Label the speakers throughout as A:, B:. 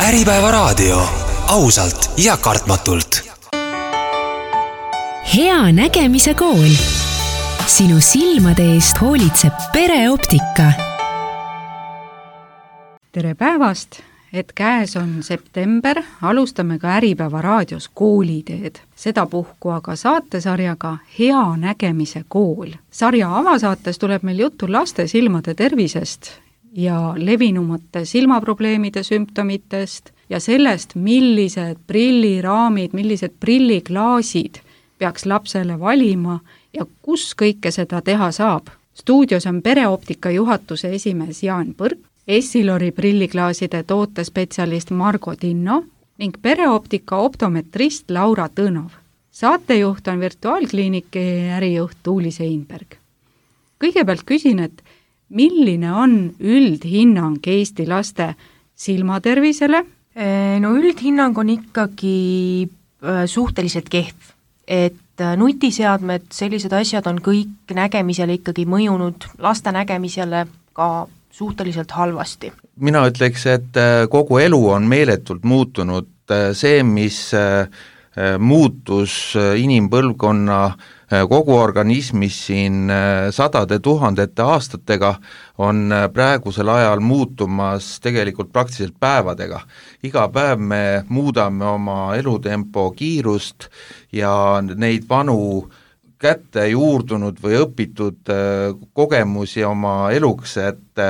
A: Äripäevaraadio, ausalt ja kartmatult.
B: Hea nägemise kool. Sinu silmade eest hoolitseb Pereoptika.
C: Tere päevast, et käes on september, alustame ka Äripäevaraadios kooliteed. Sedapuhku aga saatesarjaga Hea nägemise kool. Sarja avasaates tuleb meil juttu laste silmade tervisest ja levinumate silmaprobleemide sümptomitest ja sellest, millised prilliraamid, millised prilliklaasid peaks lapsele valima ja kus kõike seda teha saab. Stuudios on Pereoptika juhatuse esimees Jaan Põrk, Essilori prilliklaaside tootespetsialist Margo Tinno ning Pereoptika optometrist Laura Tõnov. Saatejuht on virtuaalkliiniki ärijuht Tuuli Seinberg. Kõigepealt küsin, et milline on üldhinnang Eesti laste silmatervisele?
D: No üldhinnang on ikkagi suhteliselt kehv, et nutiseadmed, sellised asjad on kõik nägemisele ikkagi mõjunud laste nägemisele ka suhteliselt halvasti.
E: Mina ütleks, et kogu elu on meeletult muutunud. See, mis muutus inimpõlvkonna kogu organismis siin sadade tuhandete aastatega, on praegusel ajal muutumas tegelikult praktiliselt päevadega. Iga päev me muudame oma elutempo kiirust ja neid vanu kätte juurdunud või õpitud kogemusi oma eluks, et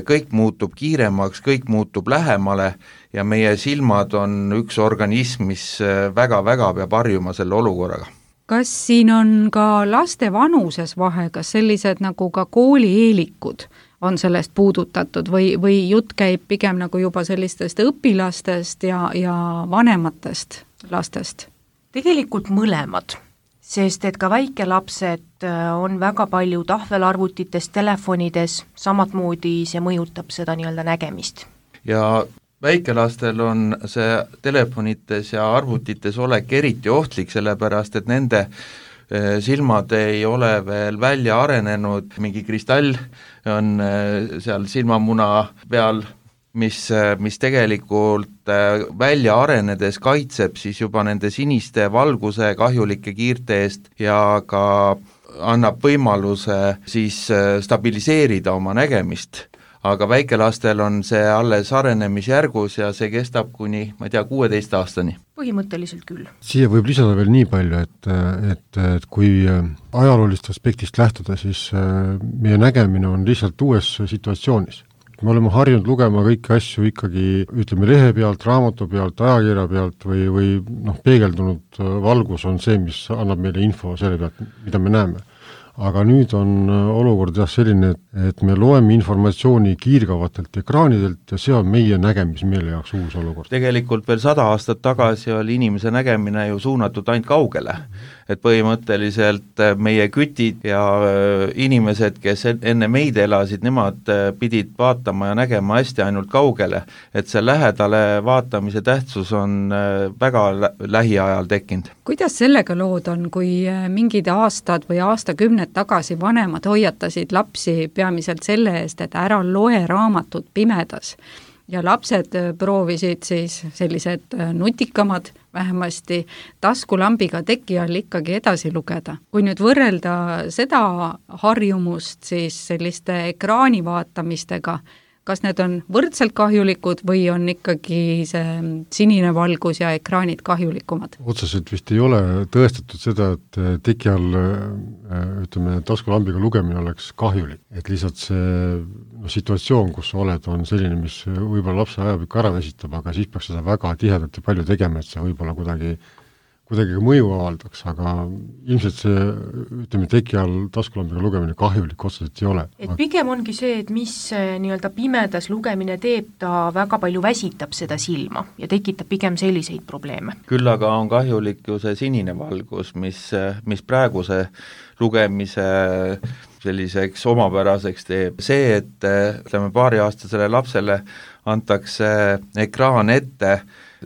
E: kõik muutub kiiremaks, kõik muutub lähemale ja meie silmad on üks organism, mis väga-väga peab harjuma selle olukorraga.
C: Kas siin on ka laste vanuses vahe, kas sellised nagu ka koolieelikud on sellest puudutatud või jutt käib pigem nagu juba sellistest õpilastest ja vanematest lastest?
D: Tegelikult mõlemad, sest et ka väikelapsed on väga palju tahvelarvutites, telefonides, samatmoodi see mõjutab seda nii-öelda nägemist.
E: Ja väikelastel on see telefonites ja arvutites olek eriti ohtlik, sellepärast et nende silmad ei ole veel välja arenenud, mingi kristall on seal silmamuna peal, mis tegelikult välja arenedes kaitseb siis juba nende siniste valguse kahjulike kiirte eest ja ka annab võimaluse siis stabiliseerida oma nägemist. Aga väikelastel on see alles arenemisjärgus ja see kestab kuni, 16 aastani.
D: Põhimõtteliselt küll.
F: Siia võib lisada veel nii palju, et kui ajaloolist aspektist lähtuda, siis meie nägemine on lihtsalt uues situatsioonis. Me oleme harjunud lugema kõiki asju ikkagi, ütleme, lehe pealt, raamatu pealt, ajakirja pealt või peegeldunud valgus on see, mis annab meile info selle pealt, mida me näeme. Aga nüüd on olukord selline, et me loeme informatsiooni kiirgavatelt ekraanidelt ja see on meie nägemismeele jaoks uus olukord.
E: Tegelikult veel 100 aastat tagasi oli inimese nägemine ju suunatud ainult kaugele. Et põhimõtteliselt meie kütid ja inimesed, kes enne meid elasid, nemad pidid vaatama ja nägema hästi ainult kaugele. Et see lähedale vaatamise tähtsus on väga lähiajal tekkinud.
C: Kuidas sellega lood on, kui mingid aastad või aastakümned tagasi vanemad hoiatasid lapsi peamiselt selle eest, et ära loe raamatut pimedas ja lapsed proovisid siis sellised nutikamad vähemasti taskulambiga teki all ikkagi edasi lugeda. Kui nüüd võrrelda seda harjumust siis selliste ekraani vaatamistega, kas need on võrdselt kahjulikud või on ikkagi see sinine valgus ja ekraanid kahjulikumad?
F: Otseselt vist ei ole tõestatud seda, et teki all taskulambiga lugemine oleks kahjulik. Et lihtsalt see situatsioon, kus sa oled, on selline, mis võib-olla lapse ajab ikka ära väsitab, aga siis peaks seda väga tihedalt ja palju tegema, et see võib-olla kuidagi mõju avaldaks, aga ilmselt see, teki all taskulambiga lugemine kahjulik otseselt ei ole.
D: Et pigem ongi see, et mis nii-öelda pimedas lugemine teeb, ta väga palju väsitab seda silma ja tekitab pigem selliseid probleeme.
E: Küll aga on kahjulik ju see sinine valgus, mis praeguse lugemise selliseks omapäraseks teeb. See, et paariaastasele lapsele antakse ekraan ette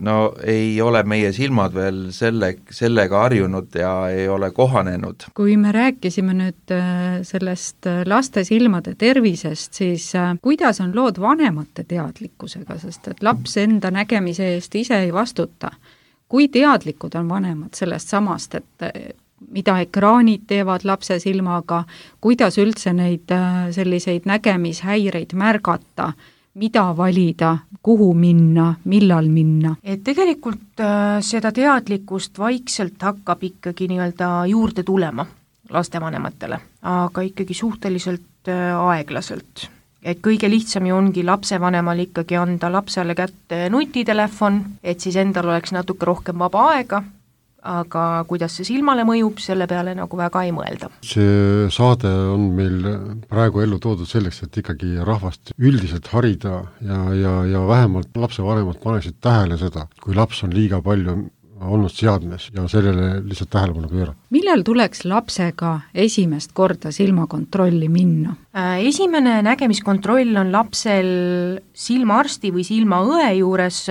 E: no ei ole meie silmad veel sellega harjunud ja ei ole kohanenud.
C: Kui me rääkisime nüüd sellest laste silmade tervisest, siis kuidas on lood vanemate teadlikkusega, sest et laps enda nägemise eest ise ei vastuta. Kui teadlikud on vanemad sellest samast, et mida ekraanid teevad lapse silmaga, kuidas üldse neid selliseid nägemishäireid märgata, mida valida, kuhu minna, millal minna?
D: Et tegelikult seda teadlikkust vaikselt hakkab ikkagi nii-öelda juurde tulema lastevanematele, aga ikkagi suhteliselt aeglaselt. Et kõige lihtsam ju ongi lapsevanemal ikkagi anda lapsele kätte nutitelefon, et siis endal oleks natuke rohkem vaba aega, aga kuidas see silmale mõjub, selle peale nagu väga ei mõelda.
F: See saade on meil praegu ellu toodud selleks, et ikkagi rahvast üldiselt harida ja vähemalt lapsevanemad paneksid tähele seda, kui laps on liiga palju olnud seadmes ja sellele lihtsalt tähelepanu pöörata.
C: Millal tuleks lapsega esimest korda silmakontrolli minna?
D: Esimene nägemiskontroll on lapsel silmaarsti või silmaõe juures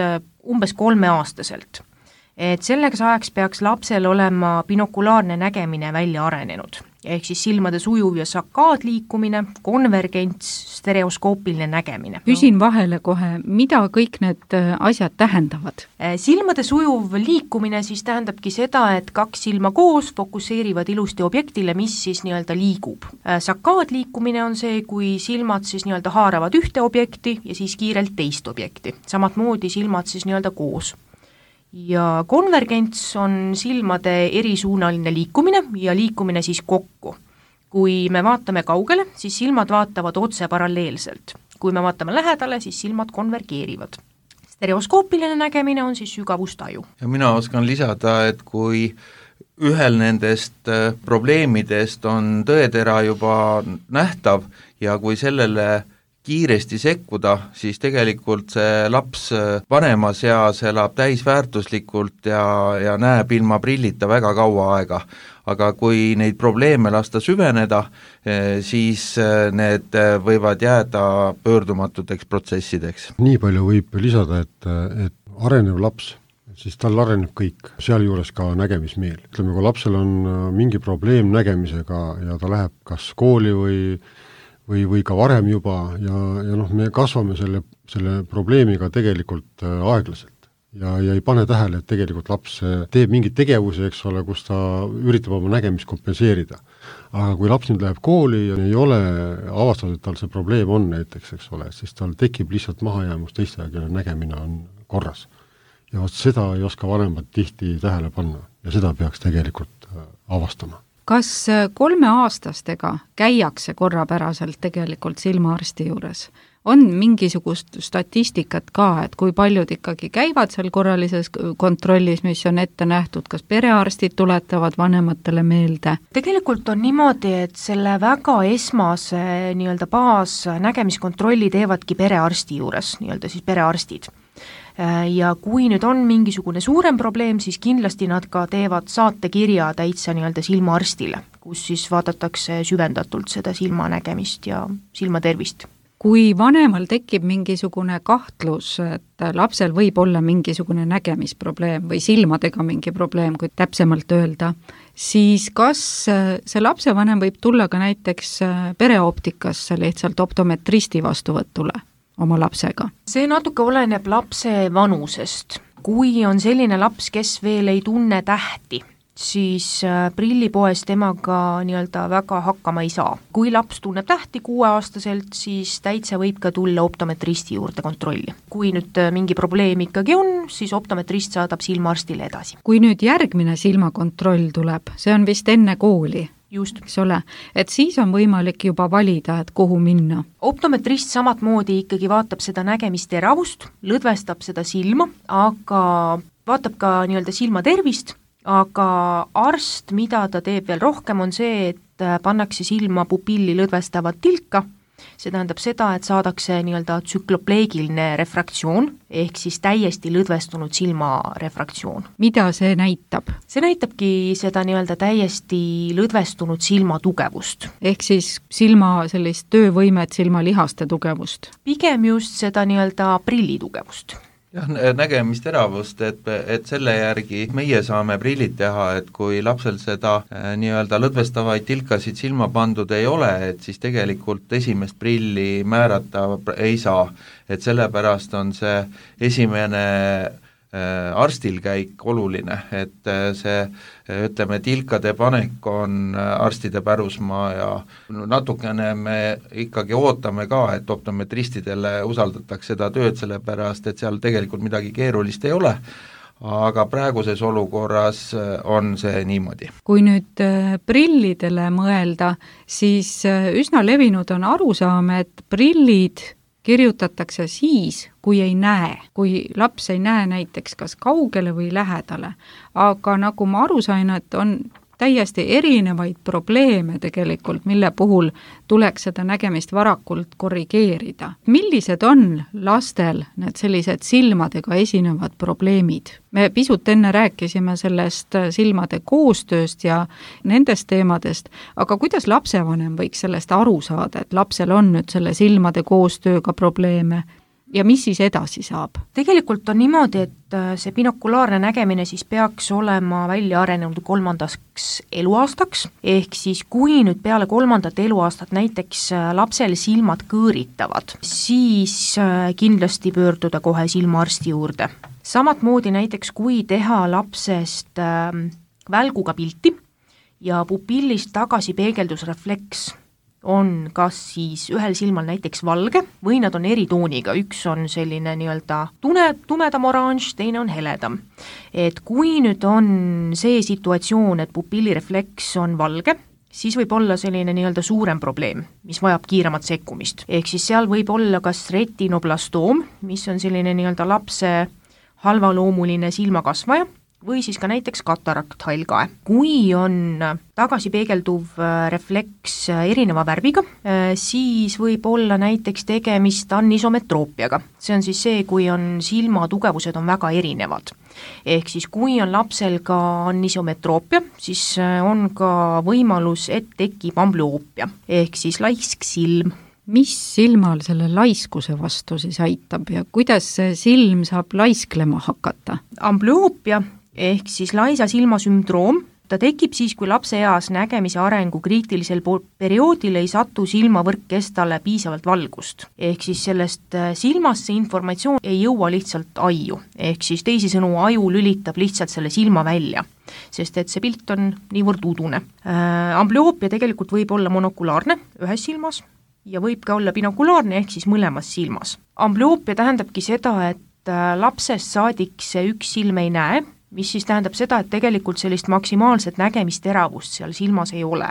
D: umbes 3-aastaselt. Et selleks ajaks peaks lapsel olema binokulaarne nägemine välja arenenud, ehk siis silmade sujuv ja sakaadliikumine, konvergents, stereoskoopiline nägemine.
C: Küsin vahele kohe, mida kõik need asjad tähendavad?
D: Silmade sujuv liikumine siis tähendabki seda, et 2 silma koos fokusseerivad ilusti objektile, mis siis nii-öelda liigub. Sakaadliikumine on see, kui silmad siis nii-öelda haaravad ühte objekti ja siis kiirelt teist objekti. Samat moodi silmad siis nii-öelda koos. Ja konvergents on silmade erisuunaline liikumine ja liikumine siis kokku. Kui me vaatame kaugele, siis silmad vaatavad otse paralleelselt. Kui me vaatame lähedale, siis silmad konvergeerivad. Stereoskoopiline nägemine on siis sügavustaju.
E: Ja mina oskan lisada, et kui ühel nendest probleemidest on tõetera juba nähtav ja kui sellele kiiresti sekkuda, siis tegelikult see laps vanemas eas elab täisväärtuslikult ja näeb ilma prillita väga kaua aega. Aga kui neid probleeme lasta süveneda, siis need võivad jääda pöördumatuteks protsessideks.
F: Nii palju võib lisada, et arenev laps, siis tal areneb kõik, sealjuures ka nägemismeel. Ütleme, kui lapsel on mingi probleem nägemisega ja ta läheb kas kooli või ka varem juba ja me kasvame selle probleemiga tegelikult aeglaselt ja ei pane tähele, et tegelikult laps teeb mingeid tegevusi, eks ole, kus ta üritab oma nägemist kompenseerida. Aga kui laps nüüd läheb kooli ja ei ole avastatud, et tal see probleem on näiteks, eks ole, siis tal tekib lihtsalt mahajäämus teiste, kelle nägemine on korras. Ja seda ei oska vanemad tihti tähele panna ja seda peaks tegelikult avastama.
C: Kas 3-aastastega käiakse korrapäraselt tegelikult silmaarsti juures? On mingisugust statistikat ka, et kui paljud ikkagi käivad seal korralises kontrollis, mis on ette nähtud, kas perearstid tuletavad vanematele meelde?
D: Tegelikult on niimoodi, et selle väga esmase nii-öelda baasnägemiskontrolli teevadki perearsti juures, nii-öelda siis perearstid. Ja kui nüüd on mingisugune suurem probleem, siis kindlasti nad ka teevad saatekirja täitsa nii-öelda silmaarstile, kus siis vaadatakse süvendatult seda silmanägemist ja silmatervist.
C: Kui vanemal tekib mingisugune kahtlus, et lapsel võib olla mingisugune nägemisprobleem või silmadega mingi probleem, kui täpsemalt öelda, siis kas see lapsevanem võib tulla ka näiteks pereoptikasse lihtsalt optometristi vastuvõtule oma lapsega?
D: See natuke oleneb lapse vanusest. Kui on selline laps, kes veel ei tunne tähti, siis prillipoes temaga nii-öelda väga hakkama ei saa. Kui laps tunneb tähti 6-aastaselt, siis täitsa võib ka tulla optometristi juurde kontrolli. Kui nüüd mingi probleem ikkagi on, siis optometrist saadab silmaarstile edasi.
C: Kui nüüd järgmine silmakontroll tuleb, see on vist enne kooli,
D: just,
C: eks ole, et siis on võimalik juba valida, et kuhu minna.
D: Optometrist samat moodi ikkagi vaatab seda nägemisteravust, lõdvestab seda silma, aga vaatab ka nii-öelda silma tervist, aga arst, mida ta teeb veel rohkem, on see, et pannakse silma pupilli lõdvestavat tilka. See tähendab seda, et saadakse nii-öelda tsüklopleegiline refraktsioon, ehk siis täiesti lõdvestunud silmarefraktsioon.
C: Mida see näitab?
D: See näitabki seda nii-öelda täiesti lõdvestunud silma tugevust.
C: Ehk siis silma sellist töövõimet, silmalihaste tugevust?
D: Pigem just seda nii-öelda prilli tugevust.
E: jah, nägemisteravust, et selle järgi meie saame prillid teha, et kui lapsel seda nii-öelda lõdvestavaid tilkasid silma pandud ei ole, et siis tegelikult esimest prilli määrata ei saa, et sellepärast on see esimene arstil käik oluline, et see ütleme, tilkade panek on arstide pärusmaa ja natukene me ikkagi ootame ka, et optometristidele usaldatakse seda tööd, sellepärast et seal tegelikult midagi keerulist ei ole, aga praeguses olukorras on see niimoodi.
C: Kui nüüd prillidele mõelda, siis üsna levinud on arusaam, et prillid kirjutatakse siis, kui ei näe, kui laps ei näe näiteks kas kaugele või lähedale. Aga nagu ma aru sain, et on täiesti erinevaid probleeme tegelikult, mille puhul tuleks seda nägemist varakult korrigeerida. Millised on lastel need sellised silmadega esinevad probleemid? Me pisut enne rääkisime sellest silmade koostööst ja nendest teemadest, aga kuidas lapsevanem võiks sellest aru saada, et lapsel on nüüd selle silmade koostööga probleeme? Ja mis siis edasi saab?
D: Tegelikult on niimoodi, et see binokulaarne nägemine siis peaks olema välja arenenud 3. eluaastaks, ehk siis kui nüüd peale 3. eluaastat näiteks lapsel silmad kõõritavad, siis kindlasti pöörduda kohe silmaarsti juurde. Samatmoodi näiteks kui teha lapsest välguga pilti ja pupillist tagasi peegeldusrefleks on kas siis ühel silmal näiteks valge või nad on eritooniga, üks on selline nii-öelda tumedam oranž, teine on heledam. Et kui nüüd on see situatsioon, et pupillirefleks on valge, siis võib olla selline nii-öelda suurem probleem, mis vajab kiiremat sekkumist. Ehk siis seal võib olla kas retinoblastoom, mis on selline nii-öelda lapse halvaloomuline silmakasvaja, või siis ka näiteks katarakt, hallkae. Kui on tagasipeegelduv refleks erineva värviga, siis võib olla näiteks tegemist anisometroopiaga. See on siis see, kui on silma tugevused on väga erinevad. Ehk siis kui on lapsel ka anisometroopia, siis on ka võimalus, et tekib ambloopia, ehk siis laisk silm.
C: Mis silmal selle laiskuse vastu siis aitab ja kuidas see silm saab laisklema hakata?
D: Ambloopia ehk siis laisa silma sündroom, ta tekib siis, kui lapse eas nägemise arengu kriitilisel perioodil ei satu silmavõrkkestale piisavalt valgust. Ehk siis sellest silmast see informatsioon ei jõua lihtsalt aju, ehk siis teisisõnu aju lülitab lihtsalt selle silma välja, sest et see pilt on niivõrd udune. Ambloopia tegelikult võib olla monokulaarne ühes silmas ja võib ka olla binokulaarne ehk siis mõlemas silmas. Ambloopia tähendabki seda, et lapsest saadik see üks silm ei näe, mis siis tähendab seda, et tegelikult sellist maksimaalset nägemisteravust seal silmas ei ole.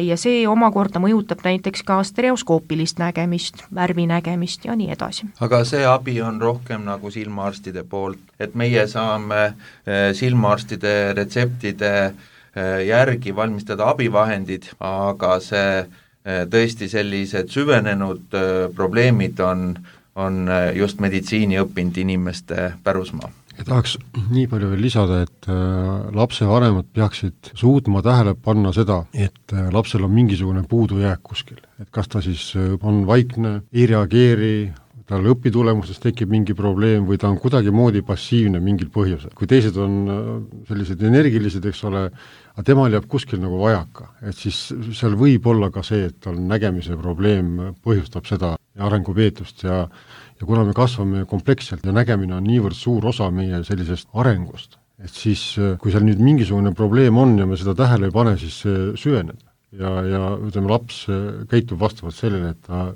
D: Ja see omakorda mõjutab näiteks ka stereoskoopilist nägemist, värvinägemist ja nii edasi.
E: Aga see abi on rohkem nagu silmaarstide poolt, et meie saame silmaarstide retseptide järgi valmistada abivahendid, aga see tõesti sellised süvenenud probleemid on just meditsiini õppinud inimeste pärusmaa.
F: Ja tahaks nii palju veel lisada, et lapsevanemad peaksid suutma tähele panna seda, et lapsel on mingisugune puudujääk kuskil. Et kas ta siis on vaikne, ei reageeri, tal õpitulemustes tekib mingi probleem või ta on kuidagi moodi passiivne mingil põhjusel. Kui teised on sellised energilised, eks ole, aga temal jääb kuskil nagu vajaka. Et siis seal võib olla ka see, et tal nägemise probleem põhjustab seda arengupeetust ja kuna me kasvame kompleksselt ja nägemine on niivõrd suur osa meie sellisest arengust, et siis kui seal nüüd mingisugune probleem on ja me seda tähele ei pane, siis see süveneb ja ütleme, laps käitub vastavalt sellele, et ta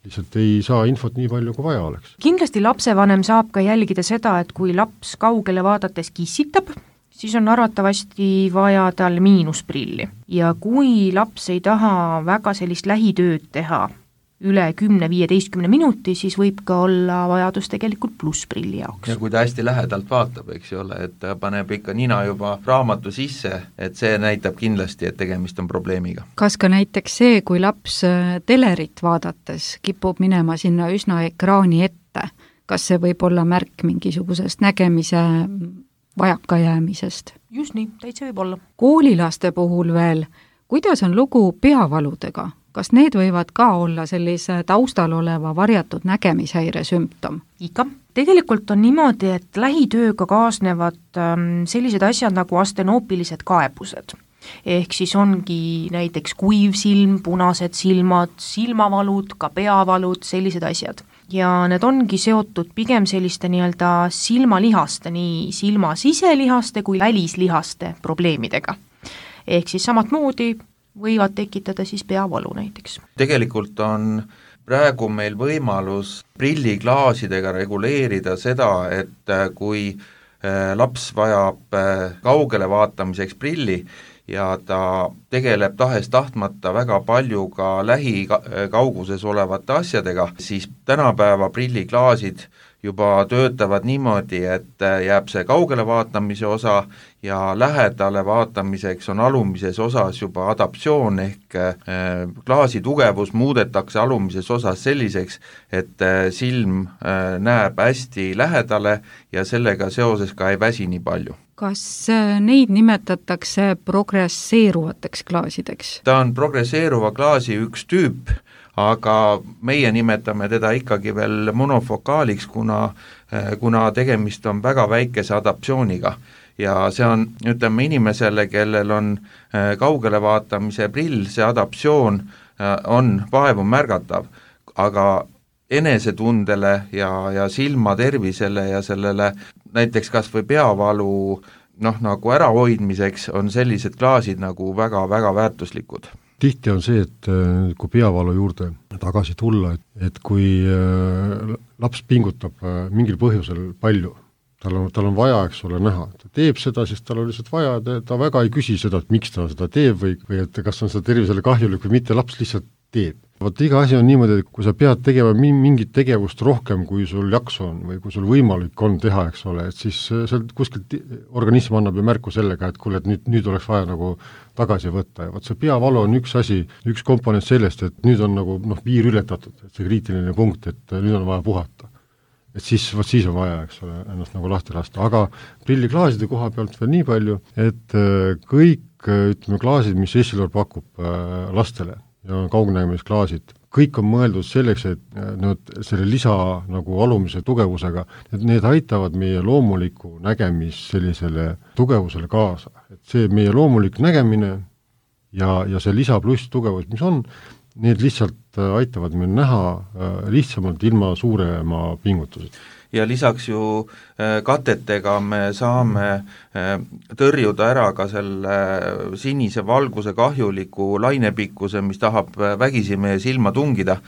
F: lihtsalt ei saa infot nii palju, kui vaja oleks.
D: Kindlasti lapsevanem saab ka jälgida seda, et kui laps kaugele vaadates kissitab, siis on arvatavasti vaja tal miinusprilli. Ja kui laps ei taha väga sellist lähitööd teha üle 10-15 minuti, siis võib ka olla vajadus tegelikult plussprilli jaoks.
E: Ja kui ta hästi lähedalt vaatab, eks ju ole, et ta paneb ikka nina juba raamatu sisse, et see näitab kindlasti, et tegemist on probleemiga.
C: Kas ka näiteks see, kui laps telerit vaadates kipub minema sinna üsna ekraani ette, kas see võib olla märk mingisugusest nägemise vajakajäämisest?
D: Just nii, täitsa võib olla.
C: Koolilaste puhul veel, kuidas on lugu peavaludega? Kas need võivad ka olla sellise taustal oleva varjatud nägemishäire sümptom?
D: Ikka. Tegelikult on niimoodi, et lähitööga kaasnevad sellised asjad nagu astenoopilised kaebused. Ehk siis ongi näiteks kuiv silm, punased silmad, silmavalud, ka peavalud, sellised asjad. Ja need ongi seotud pigem selliste nii-öelda silmalihaste, nii silma siselihaste kui välislihaste probleemidega. Ehk siis samatmoodi võivad tekitada siis peavalu näiteks.
E: Tegelikult on praegu meil võimalus prilliklaasidega reguleerida seda, et kui laps vajab kaugele vaatamiseks prilli ja ta tegeleb tahes-tahtmata väga palju ka lähikauguses olevate asjadega, siis tänapäeva prilliklaasid juba töötavad niimoodi, et jääb see kaugele vaatamise osa ja lähedale vaatamiseks on alumises osas juba adaptsioon ehk klaasi tugevus muudetakse alumises osas selliseks, et silm näeb hästi lähedale ja sellega seoses ka ei väsi nii palju.
C: Kas neid nimetatakse progresseeruvateks klaasideks?
E: Ta on progresseeruva klaasi üks tüüp, aga meie nimetame teda ikkagi veel monofokaaliks, kuna tegemist on väga väikese adaptsiooniga. Ja see on, ütleme inimesele, kellel on kaugele vaatamise prill, see adaptsioon on vaevu märgatav, aga enesetundele ja silma tervisele ja sellele näiteks kas või peavalu nagu ärahoidmiseks on sellised klaasid nagu väga-väga väärtuslikud.
F: Tihti on see, et kui peavalu juurde tagasi tulla, et kui laps pingutab mingil põhjusel palju, tal on vaja, eks ole, näha, ta teeb seda, sest tal on lihtsalt vaja, ta väga ei küsi seda, et miks ta seda teeb või et kas on seda tervisele kahjulik või mitte, laps lihtsalt teeb. Vot iga asi on niimoodi, et kui sa pead tegema mingit tegevust rohkem, kui sul jaksu on või kui sul võimalik on teha, eks ole, et siis seal kuskilt organism annab ju märku sellega, et kuule, et nüüd oleks vaja nagu tagasi võtta ja vot see peavalu on üks asi, üks komponent sellest, et nüüd on nagu piir ületatud, et see kriitiline punkt, et nüüd on vaja puhata. Et siis on vaja, eks ole, ennast nagu lahti lasta, aga prilliklaaside koha pealt veel nii palju, et kõik, ütleme, klaasid, mis Essilor pakub lastele ja kaugnägemisklaasid, kõik on mõeldud selleks, et selle lisa nagu alumise tugevusega, et need aitavad meie loomuliku nägemis sellisele tugevusele kaasa. Et see meie loomulik nägemine ja see lisa pluss tugevus, mis on, need lihtsalt aitavad meil näha lihtsamalt ilma suurema pingutused.
E: Ja lisaks ju katetega me saame tõrjuda ära ka selle sinise valguse kahjuliku lainepikkuse, mis tahab vägisi meie silma tungida.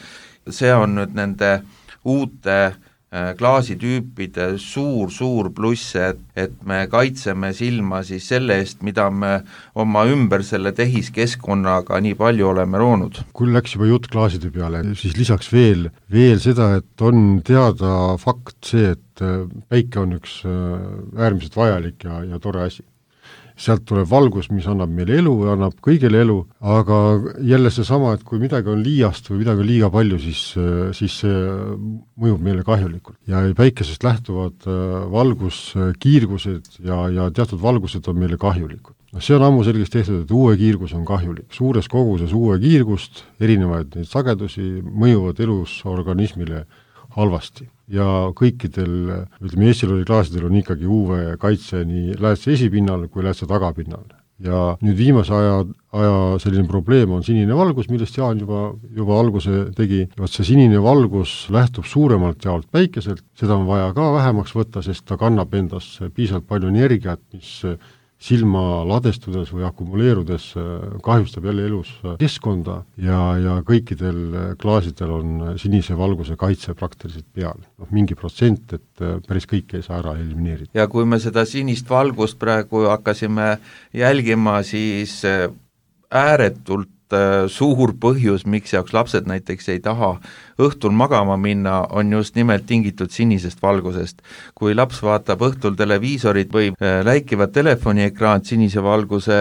E: See on nüüd nende uute klaasitüüpide suur pluss, et me kaitseme silma siis selle eest, mida me oma ümber selle tehiskeskkonnaga nii palju oleme loonud.
F: Kui läks juba jutt klaaside peale, siis lisaks veel seda, et on teada fakt see, et päike on üks äärmiselt vajalik ja tore asi. Sealt tuleb valgus, mis annab meile elu ja annab kõigile elu, aga jälle seesama, et kui midagi on liiast või midagi on liiga palju, siis see mõjub meile kahjulikult. Ja päikesest lähtuvad valguskiirgused ja teatud valgused on meile kahjulikud. See on ammu selgeks tehtud, et uue kiirgus on kahjulik. Suures koguses uue kiirgust, erinevaid neid sagedusi mõjuvad elus organismile halvasti. Ja kõikidel, ütleme, Essilori klaasidel on ikkagi UV kaitse nii läätse esipinnal kui läätse tagapinnal. Ja nüüd viimase aja selline probleem on sinine valgus, millest Jaan juba alguse tegi. See sinine valgus lähtub suuremalt jaolt päikeselt, seda on vaja ka vähemaks võtta, sest ta kannab endas piisavalt palju energiat, mis silma ladestudes või akumuleerudes kahjustab jälle elus keskkonda ja kõikidel klaasidel on sinise valguse kaitse praktiliselt peal. Mingi protsent, et päris kõik ei saa ära elimineerida.
E: Ja kui me seda sinist valgust praegu hakkasime jälgima, siis ääretult suur põhjus, miks jaoks lapsed näiteks ei taha õhtul magama minna, on just nimelt tingitud sinisest valgusest. Kui laps vaatab õhtul televiisorit või läikivad telefoniekraan sinise valguse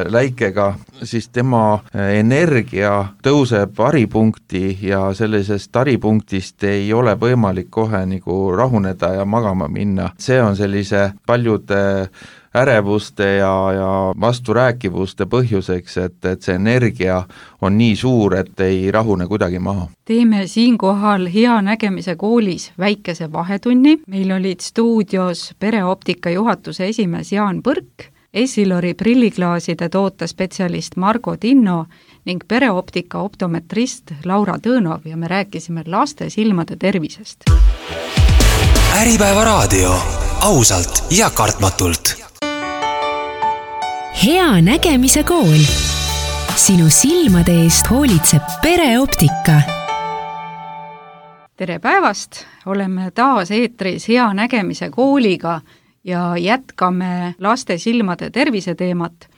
E: läikega, siis tema energia tõuseb haripunkti ja sellisest haripunktist ei ole võimalik kohe nagu rahuneda ja magama minna. See on sellise paljude ärevuste ja vasturääkivuste põhjuseks, et see energia on nii suur, et ei rahune kuidagi maha.
C: Teeme siinkohal Hea nägemise koolis väikese vahetunni. Meil olid stuudios pereoptika juhatuse esimees Jaan Põrk, Essilori prilliklaaside tootespetsialist Margo Tinno ning pereoptika optometrist Laura Tõnov ja me rääkisime laste silmade tervisest.
A: Äripäeva raadio, ausalt ja kartmatult.
B: Hea nägemise kool. Sinu silmade eest hoolitseb pereoptika.
C: Tere päevast, oleme taas eetris Hea nägemise kooliga ja jätkame laste silmade tervise teemat.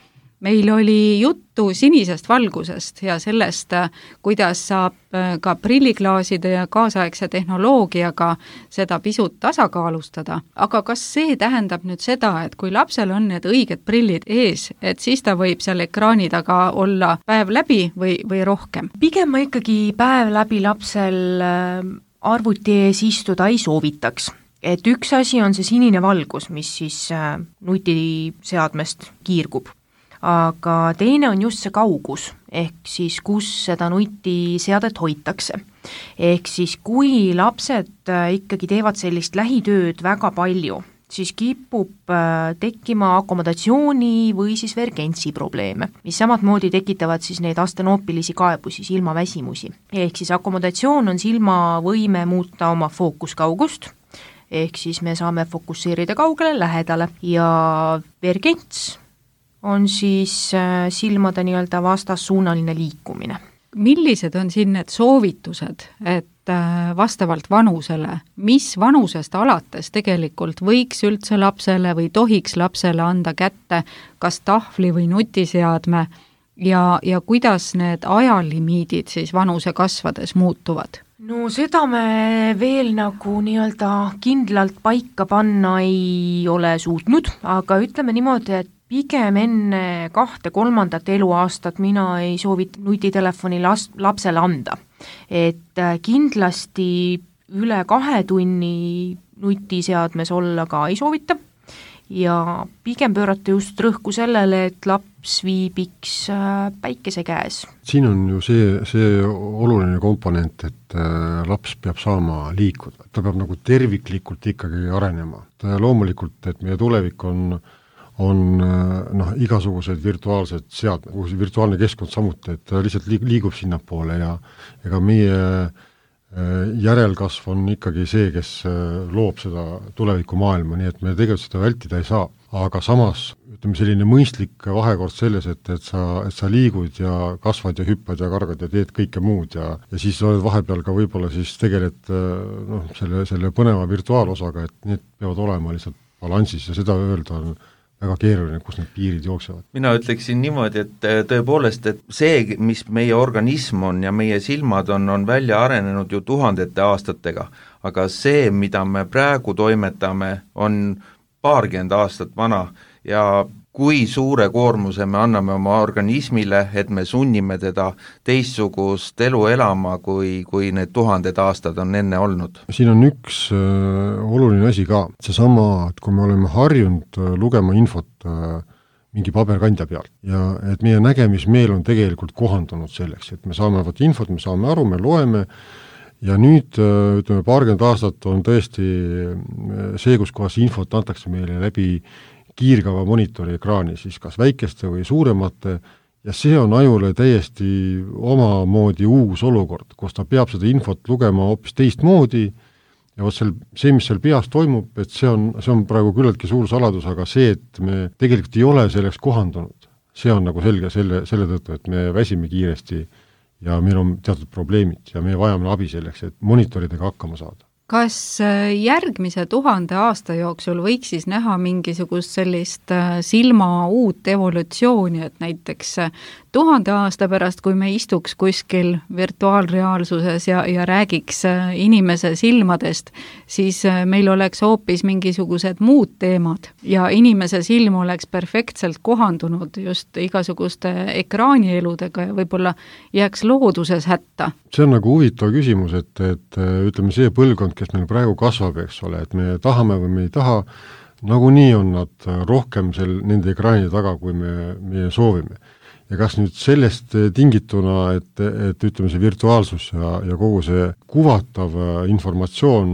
C: Meil oli juttu sinisest valgusest ja sellest, kuidas saab ka prilliklaaside ja kaasaegse tehnoloogiaga seda pisut tasakaalustada. Aga kas see tähendab nüüd seda, et kui lapsel on need õiged prillid ees, et siis ta võib seal ekraani taga olla päev läbi või rohkem?
D: Pigem ma ikkagi päev läbi lapsel arvuti ees istuda ei soovitaks. Et üks asi on see sinine valgus, mis siis nutiseadmest kiirgub, aga teine on just see kaugus, ehk siis kus seda nutiseadet hoitakse. Ehk siis kui lapsed ikkagi teevad sellist lähitööd väga palju, siis kipub tekkima akomodatsiooni või siis vergentsi probleeme, mis samatmoodi tekitavad siis neid astenoopilisi kaebusi, silmaväsimusi. Ehk siis akomodatsioon on silmavõime muuta oma fookuskaugust, ehk siis me saame fokusseerida kaugele, lähedale ja vergents on siis silmade nii-öelda vastassuunaline liikumine.
C: Millised on siin need soovitused, et vastavalt vanusele, mis vanusest alates tegelikult võiks üldse lapsele või tohiks lapsele anda kätte kas tahvli või nutiseadme ja kuidas need ajalimiidid siis vanuse kasvades muutuvad?
D: No seda me veel nagu nii-öelda kindlalt paika panna ei ole suutnud, aga ütleme niimoodi, et pigem enne 2-3 eluaastat mina ei soovita nutitelefoni lapsele anda. Et kindlasti üle 2 tunni nutiseadmes olla ka ei soovita ja pigem pöörata just rõhku sellele, et laps viibiks päikese käes.
F: Siin on ju see oluline komponent, et laps peab saama liikuda. Ta peab nagu terviklikult ikkagi arenema. Loomulikult, et meie tulevik on igasugused virtuaalsed seadmed, virtuaalne keskkond samuti, et ta lihtsalt liigub sinnapoole ja ega meie järelkasv on ikkagi see, kes loob seda tulevikumaailma, nii et me tegelikult seda vältida ei saa. Aga samas, ütleme selline mõistlik vahekord selles, et sa liigud ja kasvad ja hüppad ja kargad ja teed kõike muud ja siis oled vahepeal ka võib-olla siis tegeled selle põneva virtuaalosaga, et need peavad olema lihtsalt balansis ja seda öelda on väga keeruline, kus need piirid jooksevad.
E: Mina ütleksin niimoodi, et tõepoolest, et see, mis meie organism on ja meie silmad on välja arenenud ju tuhandete aastatega, aga see, mida me praegu toimetame, on paarkümmend aastat vana ja kui suure koormuse me anname oma organismile, et me sunnime teda teistsugust elu elama, kui need 1000 aastad on enne olnud.
F: Siin on üks oluline asi ka, seesama, et kui me oleme harjunud lugema infot mingi paberkandja pealt ja et meie nägemismeel on tegelikult kohandunud selleks, et me saame infot, me saame aru, me loeme ja nüüd, ütleme, paarkümmend aastat on tõesti see, kus kohas infot antakse meile läbi kiirgava monitori ekraani, siis kas väikeste või suuremate, ja see on ajule täiesti omamoodi uus olukord, kus ta peab seda infot lugema hoopis teistmoodi ja see, mis seal peas toimub, et see on praegu küllaltki suur saladus, aga see, et me tegelikult ei ole selleks kohandunud, see on nagu selge selle tõttu, et me väsime kiiresti ja meil on teatud probleemid ja me vajame abi selleks, et monitoridega hakkama saada.
C: Kas järgmise 1000 aasta jooksul võiks siis näha mingisugust sellist silma uut evolutsiooni, et näiteks 1000 aasta pärast, kui me istuks kuskil virtuaalreaalsuses ja räägiks inimese silmadest, siis meil oleks hoopis mingisugused muud teemad ja inimese silm oleks perfektselt kohandunud just igasuguste ekraanieludega ja võib-olla jääks looduses hätta.
F: See on nagu huvitav küsimus, et ütleme see põlvkond, kes meil praegu kasvab, eks ole, et me tahame või me ei taha, nagunii on nad rohkem nende ekraanide taga, kui me soovime. Ja kas nüüd sellest tingituna, et ütleme see virtuaalsus ja kogu see kuvatav informatsioon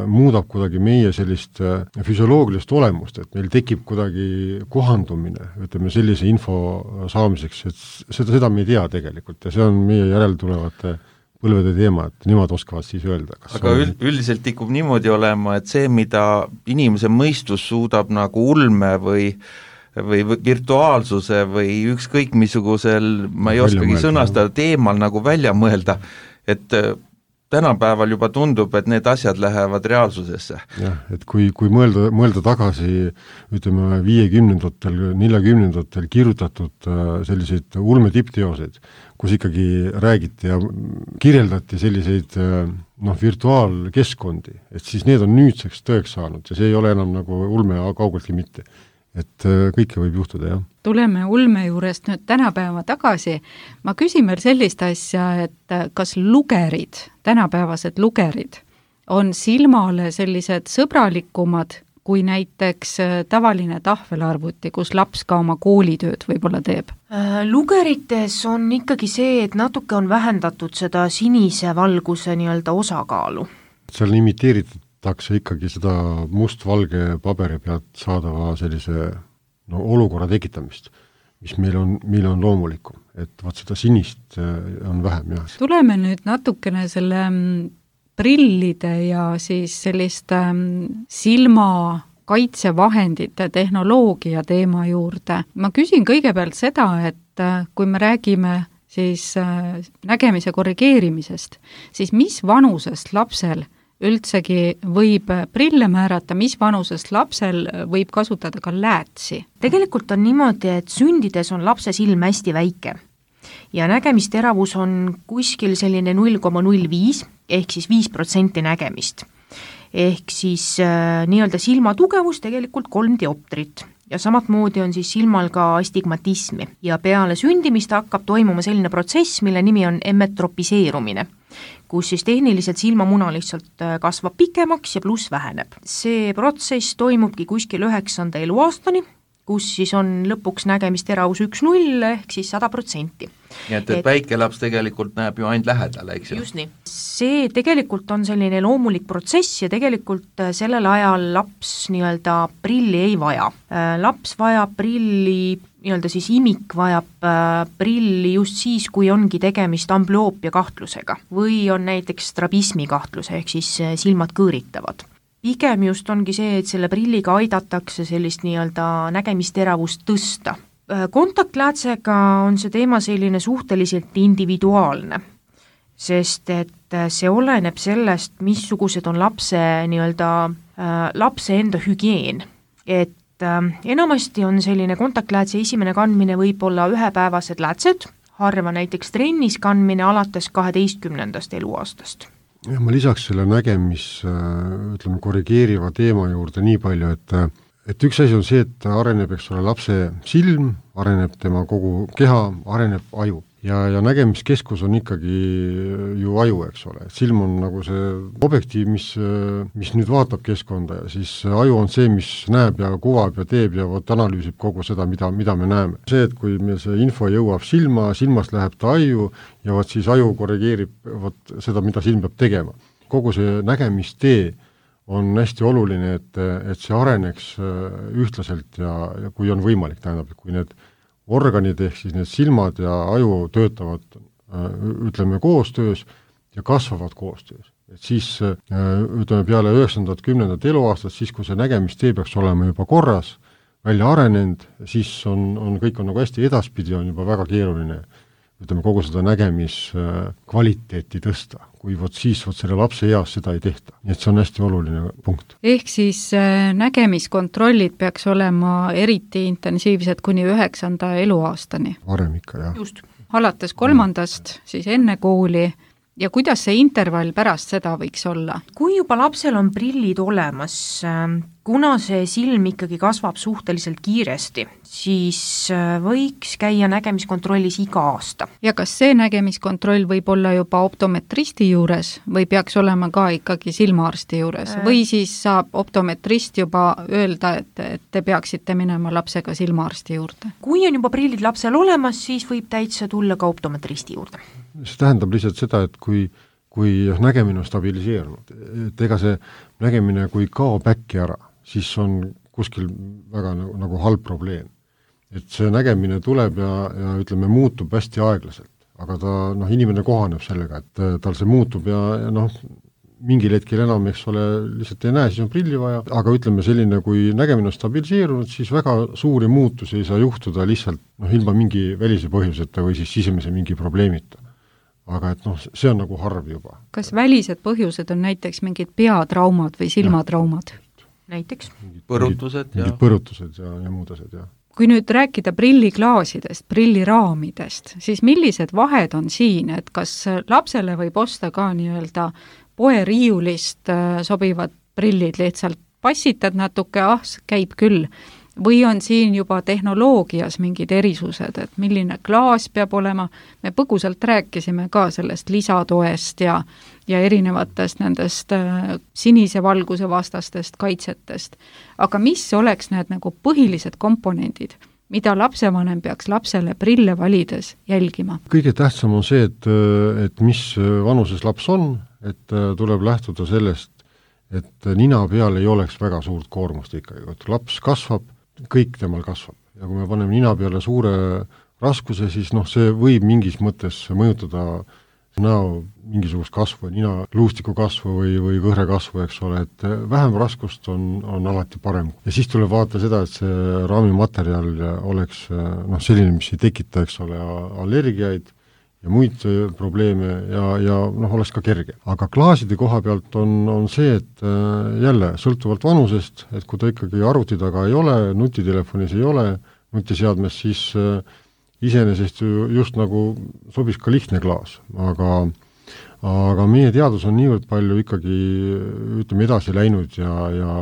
F: muudab kuidagi meie sellist füsioloogilist olemust, et meil tekib kuidagi kohandumine, ütleme sellise info saamiseks, et seda me ei tea tegelikult ja see on meie järeltulevate põlvede teema, et nemad oskavad siis öelda.
E: Aga üldiselt tikub niimoodi olema, et see, mida inimese mõistus suudab nagu ulme või virtuaalsuse või ükskõik missugusel, ma ei oskagi sõnastada, teemal nagu välja mõelda, et tänapäeval juba tundub, et need asjad lähevad reaalsusesse.
F: Jah, et kui mõelda tagasi, ütleme 50-ndatel, 40-ndatel kirjutatud selliseid ulme tippteoseid, kus ikkagi räägiti ja kirjeldati selliseid virtuaalkeskkondi, et siis need on nüüdseks tõeks saanud ja see ei ole enam nagu ulme kaugeltki mitte. Et kõike võib juhtuda, jah.
C: Tuleme ulme juurest nüüd tänapäeva tagasi. Ma küsin veel sellist asja, et kas lugerid, tänapäevased lugerid, on silmale sellised sõbralikumad kui näiteks tavaline tahvelarvuti, kus laps ka oma koolitööd võib-olla teeb?
D: Lugerites on ikkagi see, et natuke on vähendatud seda sinise valguse nii-öelda osakaalu.
F: Seal imiteeritakse ikkagi seda mustvalge paberi pealt saadava sellise olukorra tekitamist, mis meil on loomulikum, et vaat seda sinist on vähem, jah.
C: Tuleme nüüd natukene selle prillide ja siis sellist silma kaitsevahendite tehnoloogia teema juurde. Ma küsin kõigepealt seda, et kui me räägime siis nägemise korrigeerimisest, siis mis vanusest lapsel üldsegi võib prille määrata, mis vanusest lapsel võib kasutada ka läätsi?
D: Tegelikult on niimoodi, et sündides on lapse silm hästi väike ja nägemisteravus on kuskil selline 0,05 ehk siis 5% nägemist. Ehk siis nii-öelda silma tugevus tegelikult 3 dioptrit ja samat moodi on siis silmal ka astigmatismi ja peale sündimist hakkab toimuma selline protsess, mille nimi on emmetropiseerumine, kus siis tehniliselt silmamuna lihtsalt kasvab pikemaks ja pluss väheneb. See protsess toimubki kuskil 9. eluaastani, kus siis on lõpuks nägemisteravus 1,0 ehk siis 100%.
E: Nii et väike laps tegelikult näeb ju ainult lähedale, eks ju?
D: Just nii. See tegelikult on selline loomulik protsess ja tegelikult sellel ajal laps nii-öelda prilli ei vaja. Laps vajab prilli, nii-öelda siis imik vajab prilli just siis, kui ongi tegemist ambloopia kahtlusega või on näiteks strabismi kahtlus, ehk siis silmad kõõritavad. Pigem just ongi see, et selle prilliga aidatakse sellist nii-öelda nägemisteravust tõsta. Kontaktläätsega on see teema selline suhteliselt individuaalne, sest et see oleneb sellest, missugused on lapse nii-öelda lapse enda hügieen. Et enamasti on selline kontaktläätse esimene kandmine võib-olla ühepäevased läätsed, harva näiteks trennis kandmine alates 12. eluaastast.
F: Ja ma lisaks selle ütleme, korrigeeriva teema juurde nii palju, et üks asi on see, et areneb, eks ole, lapse silm, areneb tema kogu keha, areneb aju. Ja nägemiskeskus on ikkagi ju aju, eks ole. Silm on nagu see objektiiv, mis nüüd vaatab keskkonda ja siis aju on see, mis näeb ja kuvab ja teeb ja analüüsib kogu seda, mida me näeme. See, et kui meil see info jõuab silmast läheb ta aju ja siis aju korrigeerib seda, mida silm peab tegema. Kogu see nägemistee on hästi oluline, et see areneks ühtlaselt ja kui on võimalik, tähendab, kui need organid ehk siis need silmad ja aju töötavad, ütleme, koostöös ja kasvavad koostöös. Et siis, ütleme, peale 9. 10. eluaastat, siis kui see nägemistee peaks olema juba korras, välja arenenud, siis on kõik on nagu hästi edaspidi, on juba väga keeruline, ütleme, kogu seda nägemiskvaliteeti tõsta, kui siis selle lapse eas seda ei tehta. Nii et see on hästi oluline punkt.
C: Ehk siis nägemiskontrollid peaks olema eriti intensiivsed kuni 9. eluaastani.
F: Varem ikka, jah.
D: Just.
C: Alates 3. siis enne kooli ja kuidas see intervall pärast seda võiks olla?
D: Kui juba lapsel on prillid olemas, kuna see silm ikkagi kasvab suhteliselt kiiresti, siis võiks käia nägemiskontrollis iga aasta.
C: Ja kas see nägemiskontroll võib olla juba optometristi juures või peaks olema ka ikkagi silmaarsti juures? Või siis saab optometrist juba öelda, et te peaksite minema lapsega silmaarsti juurde?
D: Kui on juba prillid lapsel olemas, siis võib täitsa tulla ka optometristi juurde.
F: See tähendab lihtsalt seda, et kui nägemine on stabiliseerunud, et ega see nägemine, kui kaob äkki ära, siis on kuskil väga nagu halb probleem. Et see nägemine tuleb ja ütleme, muutub hästi aeglaselt, aga ta, inimene kohaneb sellega, et tal see muutub ja mingil hetkel enam, eks ole, lihtsalt ei näe, siis on prilli vaja, aga ütleme selline, kui nägemine on stabiliseerunud, siis väga suuri muutusi ei saa juhtuda lihtsalt ilma mingi välise põhjuseta või siis sisemise mingi probleemita. Aga et see on nagu harv juba.
C: Kas välised põhjused on näiteks mingid peatraumad või silmatraumad?
D: Näiteks?
E: Põrutused
F: ja muud asjad, jah.
C: Kui nüüd rääkida prilliklaasidest, prilliraamidest, siis millised vahed on siin, et kas lapsele võib osta ka nii-öelda poeriiulist sobivad prillid, lihtsalt passitad natuke, käib küll, või on siin juba tehnoloogias mingid erisused, et milline klaas peab olema, me põgusalt rääkisime ka sellest lisatoest ja erinevatest nendest sinise valguse vastastest kaitsetest, aga mis oleks need nagu põhilised komponendid, mida lapsevanem peaks lapsele prille valides jälgima?
F: Kõige tähtsam on see, et mis vanuses laps on, et tuleb lähtuda sellest, et nina peal ei oleks väga suurt koormust ikkagi, et laps kasvab, kõik temal kasvab ja kui me paneme nina peale suure raskuse, siis see võib mingis mõttes mõjutada näo mingisugust kasvu, nina luustiku kasvu või kõhre kasvu, eks ole, et vähem raskust on alati parem. Ja siis tuleb vaadata seda, et see raamimaterjal oleks selline, mis ei tekita, eks ole, allergiaid ja muid probleeme ja oleks ka kerge. Aga klaaside koha pealt on see, et jälle sõltuvalt vanusest, et kui ta ikkagi arvuti taga ei ole, nutitelefonis ei ole, nutiseadmes, siis iseenesest just nagu sobis ka lihtne klaas, aga meie teadus on niivõrd palju ikkagi edasi läinud ja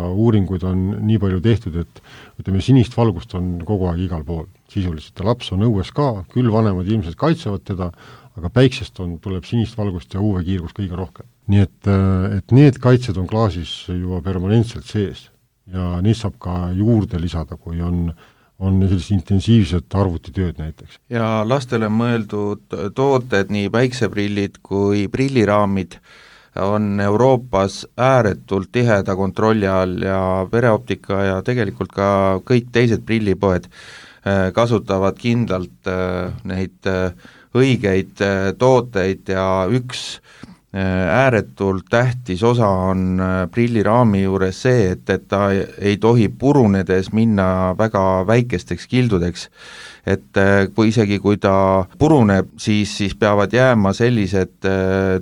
F: uuringuid on nii palju tehtud, et sinist valgust on kogu aeg igal pool sisuliselt ja laps on õues ka, küll vanemad ilmselt kaitsevad teda, aga päiksest tuleb sinist valgust ja UV-kiirgus kõige rohkem. Nii et need kaitsed on klaasis juba permanentselt sees ja neid saab ka juurde lisada, kui on sellised intensiivsed arvutitööd näiteks.
E: Ja lastele mõeldud tooted, nii päikseprillid kui prilliraamid, on Euroopas ääretult tiheda kontrolli all ja Pereoptika ja tegelikult ka kõik teised prillipoed kasutavad kindlalt neid õigeid tooteid ja üks ääretult tähtis osa on prilliraami juures see, et ta ei tohi purunedes minna väga väikesteks kildudeks. Et kui ta puruneb, siis peavad jääma sellised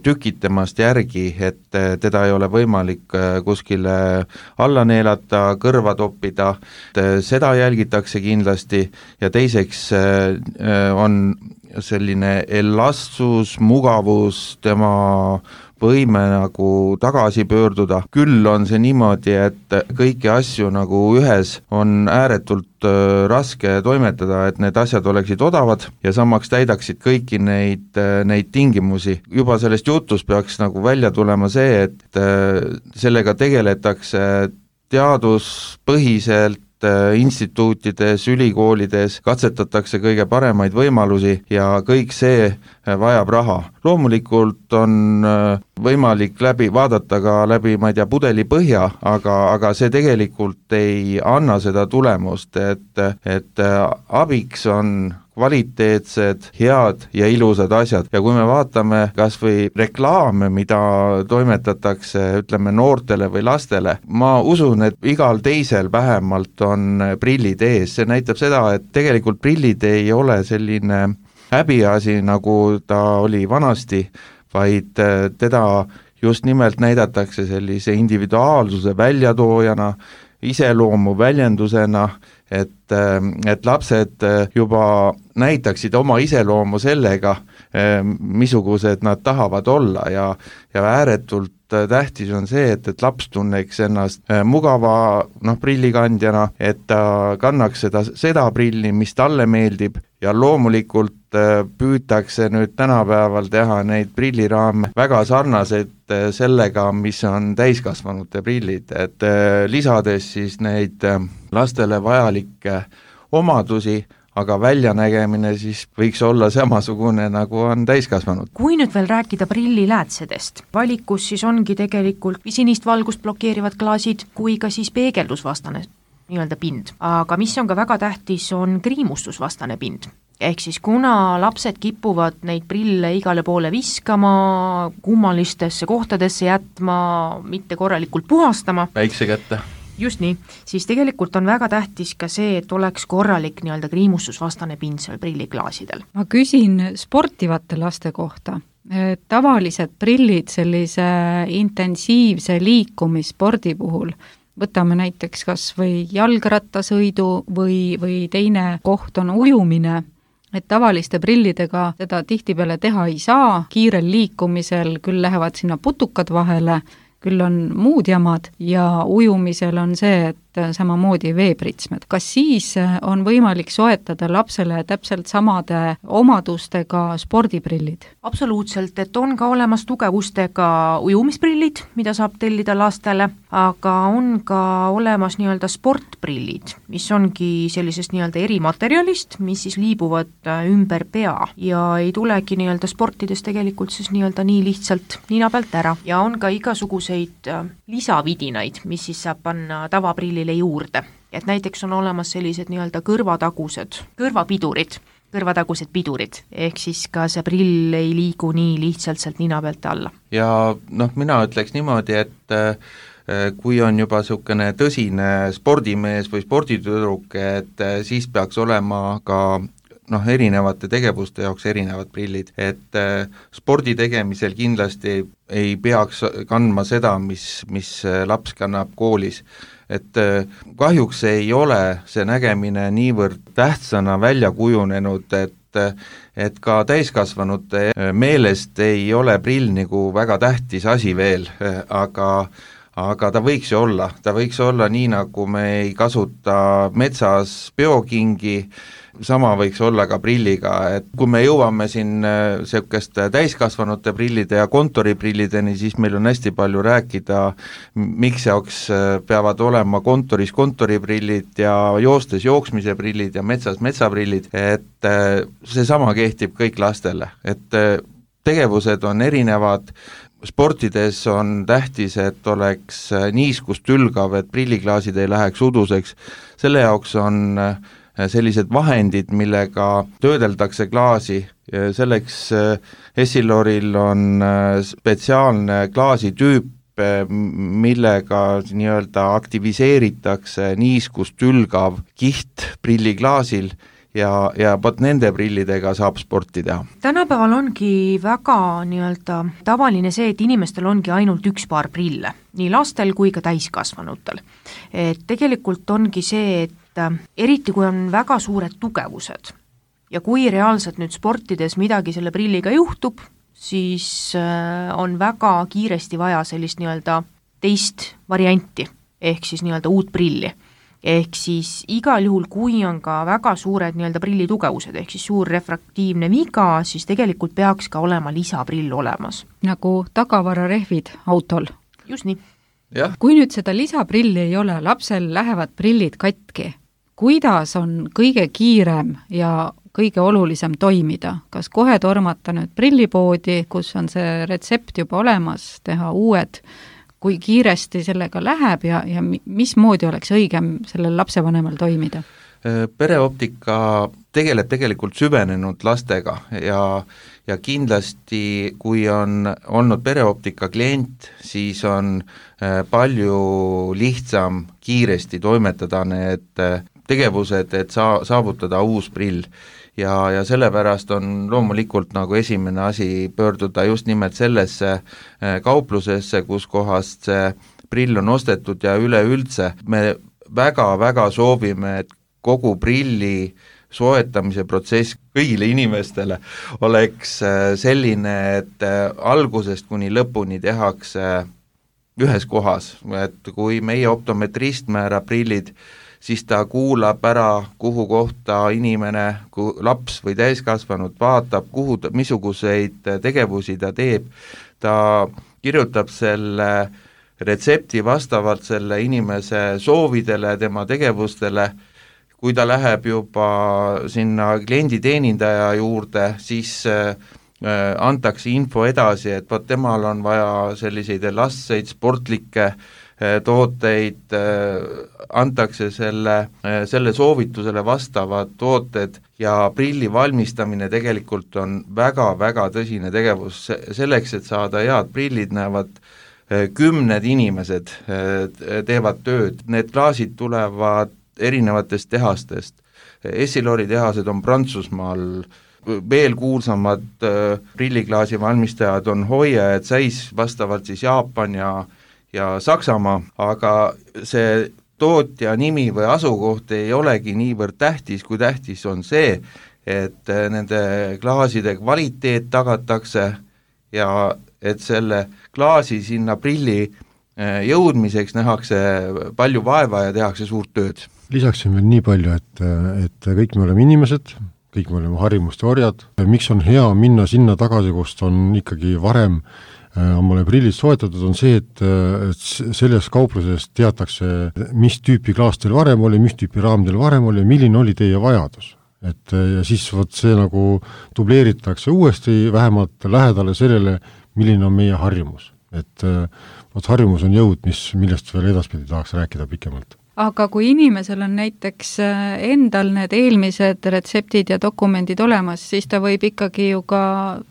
E: tükid temast järgi, et teda ei ole võimalik kuskile alla neelata, kõrva toppida, seda jälgitakse kindlasti ja teiseks on selline elastsus, mugavus, tema võime nagu tagasi pöörduda. Küll on see niimoodi, et kõiki asju nagu ühes on ääretult raske toimetada, et need asjad oleksid odavad ja samaks täidaksid kõiki neid tingimusi. Juba sellest jutust peaks nagu välja tulema see, et sellega tegeletakse teaduspõhiselt, instituutides, ülikoolides katsetatakse kõige paremaid võimalusi ja kõik see vajab raha. Loomulikult on võimalik vaadata ka läbi, ma ei tea, pudeli põhja, aga see tegelikult ei anna seda tulemust, et abiks on kvaliteetsed, head ja ilusad asjad ja kui me vaatame kas või reklaame, mida toimetatakse, ütleme, noortele või lastele, ma usun, et igal teisel vähemalt on prillid ees, see näitab seda, et tegelikult prillid ei ole selline häbiasi, nagu ta oli vanasti, vaid teda just nimelt näidatakse sellise individuaalsuse väljatoojana, iseloomu väljendusena, et lapsed juba näitaksid oma iseloomu sellega, missugused nad tahavad olla ja ääretult tähtis on see, et laps tunneks ennast mugava prillikandjana, et ta kannaks seda prilli, mis talle meeldib ja loomulikult püütakse nüüd tänapäeval teha neid prilliraame väga sarnaseid sellega, mis on täiskasvanute prillid, et lisades siis neid lastele vajalikke omadusi, aga väljanägemine siis võiks olla samasugune, nagu on täiskasvanud.
D: Kui nüüd veel rääkida prilliläätsedest, valikus siis ongi tegelikult sinist valgust blokeerivad klaasid kui ka siis peegeldusvastane nii-öelda pind. Aga mis on ka väga tähtis, on kriimustusvastane pind. Ehk siis kuna lapsed kipuvad neid prille igale poole viskama, kummalistesse kohtadesse jätma, mitte korralikult puhastama,
E: väikse kätte.
D: Just nii, siis tegelikult on väga tähtis ka see, et oleks korralik nii-öelda kriimustusvastane pind seal prilliklaasidel.
C: Ma küsin sportivate laste kohta. Tavalised prillid sellise intensiivse liikumisspordi puhul, võtame näiteks kas või jalgrattasõidu või teine koht on ujumine, et tavaliste prillidega seda tihtipeale teha ei saa, kiirel liikumisel küll lähevad sinna putukad vahele, küll on muud jamad ja ujumisel on see, et samamoodi veepritsmed. Kas siis on võimalik soetada lapsele täpselt samade omadustega spordiprillid?
D: Absoluutselt, et on ka olemas tugevustega ujumisprillid, mida saab tellida lastele, aga on ka olemas nii-öelda sportprillid, mis ongi sellisest nii-öelda erimaterjalist, mis siis liibuvad ümber pea ja ei tulegi nii-öelda sportides tegelikult siis nii-öelda nii lihtsalt nina pealt ära ja on ka igasuguseid lisavidinaid, mis siis saab panna tavaprillile juurde. Et näiteks on olemas sellised nii-öelda kõrvatagused pidurid, ehk siis ka see prill ei liigu nii lihtsalt sealt nina pealt alla.
E: Ja mina ütleks niimoodi, et kui on juba niisugune tõsine spordimees või sporditüdruk, et siis peaks olema ka erinevate tegevuste jaoks erinevad prillid, et spordi tegemisel kindlasti ei peaks kandma seda, mis laps kannab koolis. Et kahjuks ei ole see nägemine niivõrd tähtsana välja kujunenud, et ka täiskasvanute meelest ei ole prill nagu väga tähtis asi veel, aga ta võiks ju olla, nii nagu me ei kasuta metsas peokingi, sama võiks olla ka prilliga, et kui me jõuame siin sellist täiskasvanute prillide ja kontoriprillideni, siis meil on hästi palju rääkida, miks jaoks peavad olema kontoris kontoriprillid ja joostes jooksmise prillid ja metsas metsaprillid, et see sama kehtib kõik lastele, et tegevused on erinevad, sportides on tähtis, et oleks niiskust ülgav, et prilliklaasid ei läheks uduseks, selle jaoks on sellised vahendid, millega töödeldakse klaasi, selleks Essiloril on spetsiaalne klaasitüüp, millega nii-öelda aktiviseeritakse niiskust ülgav kiht prilliklaasil ja pot nende prillidega saab sporti teha.
D: Tänapäeval ongi väga nii-öelda tavaline see, et inimestel ongi ainult üks paar prille, nii lastel kui ka täiskasvanutel. Et tegelikult ongi see, et eriti kui on väga suured tugevused ja kui reaalselt nüüd sportides midagi selle prilliga juhtub, siis on väga kiiresti vaja sellist nii-öelda teist varianti, ehk siis nii-öelda uut prilli. Ehk siis igal juhul, kui on ka väga suured nii-öelda prilli tugevused, ehk siis suur refraktiivne viga, siis tegelikult peaks ka olema lisaprill olemas.
C: Nagu tagavararehvid autol.
D: Just nii.
E: Ja.
C: Kui nüüd seda lisaprilli ei ole, lapsel lähevad prillid katki, kuidas on kõige kiirem ja kõige olulisem toimida? Kas kohe tormata nüüd prillipoodi, kus on see retsept juba olemas, teha uued, kui kiiresti sellega läheb ja mismoodi oleks õigem sellel lapsevanemal toimida?
E: Pereoptika tegeleb tegelikult süvenenud lastega ja kindlasti, kui on olnud pereoptika klient, siis on palju lihtsam kiiresti toimetada need tegevused, et saavutada uus prill. Ja sellepärast on loomulikult nagu esimene asi pöörduda just nimelt sellesse kauplusesse, kus kohast see prill on ostetud ja üleüldse me väga-väga soovime, et kogu prilli soetamise protsess kõigile inimestele oleks selline, et algusest kuni lõpuni tehakse ühes kohas, et kui meie optometrist määrab prillid, siis ta kuulab ära, kuhu kohta inimene, laps või täiskasvanud vaatab, missuguseid tegevusi ta teeb, ta kirjutab selle retsepti vastavalt selle inimese soovidele, tema tegevustele. Kui ta läheb juba sinna klienditeenindaja juurde, siis antakse info edasi, et temal on vaja selliseid elastseid, sportlikke tooteid, antakse selle soovitusele vastavad tooted ja prilli valmistamine tegelikult on väga-väga tõsine tegevus. Selleks, et saada head prillid, näevad 10 inimesed teevad tööd, need klaasid tulevad erinevatest tehastest. Essilori tehased on Prantsusmaal, veel kuulsamad prilliklaasi valmistajad on Hoia ja Zeiss, vastavalt siis Jaapan ja Saksamaa, aga see tootja nimi või asukoht ei olegi niivõrd tähtis, kui tähtis on see, et nende klaaside kvaliteet tagatakse ja et selle klaasi sinna prilli jõudmiseks nähakse palju vaeva ja tehakse suurt tööd.
F: Lisaksin veel nii palju, et kõik me oleme inimesed, kõik me oleme harjumuste orjad. Miks on hea minna sinna tagasi, kust on ikkagi varem omale prillid soetatud, on see, et selles kaupluses teatakse, mis tüüpi klaas teil varem oli, mis tüüpi raam teil varem oli, milline oli teie vajadus. Ja siis see nagu dubleeritakse uuesti vähemalt lähedale sellele, milline on meie harjumus. Harjumus on jõud, millest veel edaspidi tahaks rääkida pikemalt.
C: Aga kui inimesel on näiteks endal need eelmised retseptid ja dokumendid olemas, siis ta võib ikkagi ju ka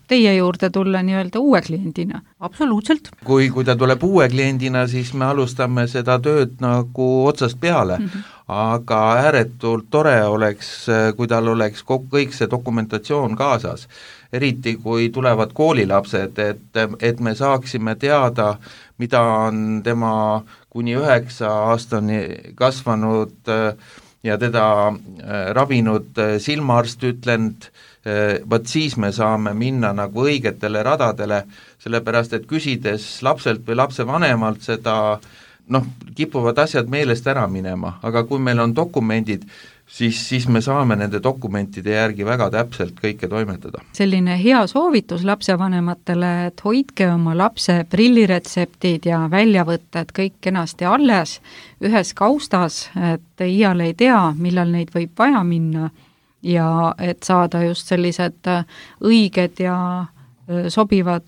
C: teie juurde tulla nii-öelda uue kliendina.
D: Absoluutselt.
E: Kui ta tuleb uue kliendina, siis me alustame seda tööd nagu otsast peale, aga ääretult tore oleks, kui tal oleks kõik see dokumentatsioon kaasas. Eriti kui tulevad koolilapsed, et me saaksime teada, mida on tema kuni 9 aastani kasvanud ja teda ravinud silmaarst ütlenud, võt siis me saame minna nagu õigetele radadele, sellepärast et küsides lapselt või lapsevanemalt seda, kipuvad asjad meelest ära minema, aga kui meil on dokumendid, siis me saame nende dokumentide järgi väga täpselt kõike toimetada.
C: Selline hea soovitus lapsevanematele, et hoidke oma lapse prilliretseptid ja väljavõtted kõik kenasti alles ühes kaustas, et iial ei tea, millal neid võib vaja minna ja et saada just sellised õiged ja sobivad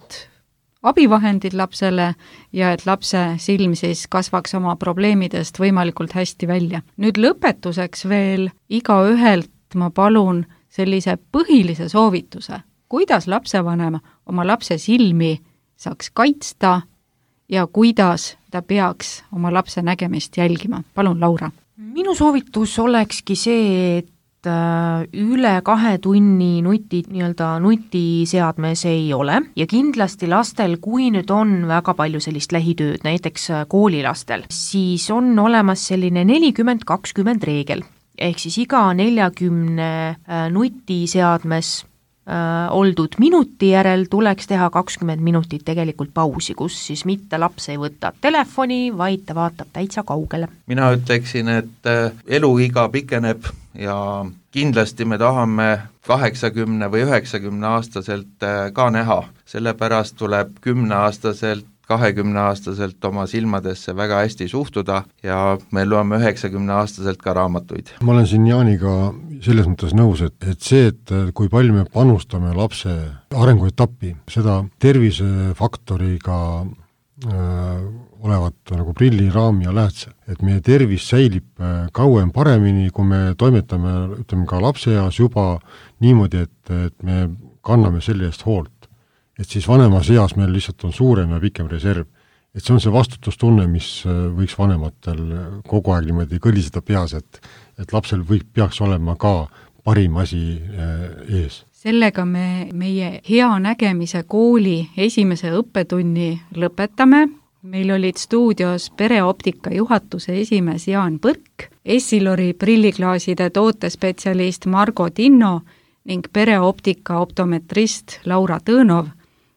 C: abivahendid lapsele ja et lapse silm siis kasvaks oma probleemidest võimalikult hästi välja. Nüüd lõpetuseks veel igaühelt ma palun sellise põhilise soovituse, kuidas lapsevanem oma lapse silmi saaks kaitsta ja kuidas ta peaks oma lapse nägemist jälgima. Palun, Laura.
D: Minu soovitus olekski see, et üle 2 tunni nutiseadmes ei ole ja kindlasti lastel, kui nüüd on väga palju sellist lähitööd, näiteks koolilastel, siis on olemas selline 40-20 reegel, ehk siis iga 40 nutiseadmes oldud minuti järel tuleks teha 20 minutit tegelikult pausi, kus siis mitte laps ei võta telefoni, vaid ta vaatab täitsa kaugele.
E: Mina ütleksin, et eluiga pikeneb ja kindlasti me tahame 80 või 90 aastaselt ka näha, sellepärast tuleb 10-aastaselt 20-aastaselt oma silmadesse väga hästi suhtuda ja me loeme 90-aastaselt ka raamatuid. Ma
F: olen siin Jaaniga selles mõttes nõus, et see, et kui palju me panustame lapse arenguetappi, seda tervisefaktoriga olevat nagu prilli, raam ja läätse. Et meie tervis säilib kauem paremini, kui me toimetame, ütleme ka lapseeas juba niimoodi, et me kanname selle eest hoolt. Et siis vanemas eas meil lihtsalt on suurem ja pikem reserv. Et see on see vastutustunne, mis võiks vanematel kogu aeg niimoodi kõliseda peas, et lapsel peaks olema ka parim asi ees.
C: Sellega me meie hea nägemise kooli esimese õppetunni lõpetame. meil olid stuudios Pereoptika juhatuse esimees Jaan Põrk, Essilori prilliklaaside tootespetsialist Margo Tinno ning Pereoptika optometrist Laura Tõnov.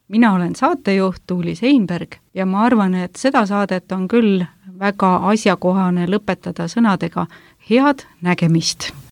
C: Mina olen saatejuht Tuuli Seinberg ja ma arvan, et seda saadet on küll väga asjakohane lõpetada sõnadega head nägemist!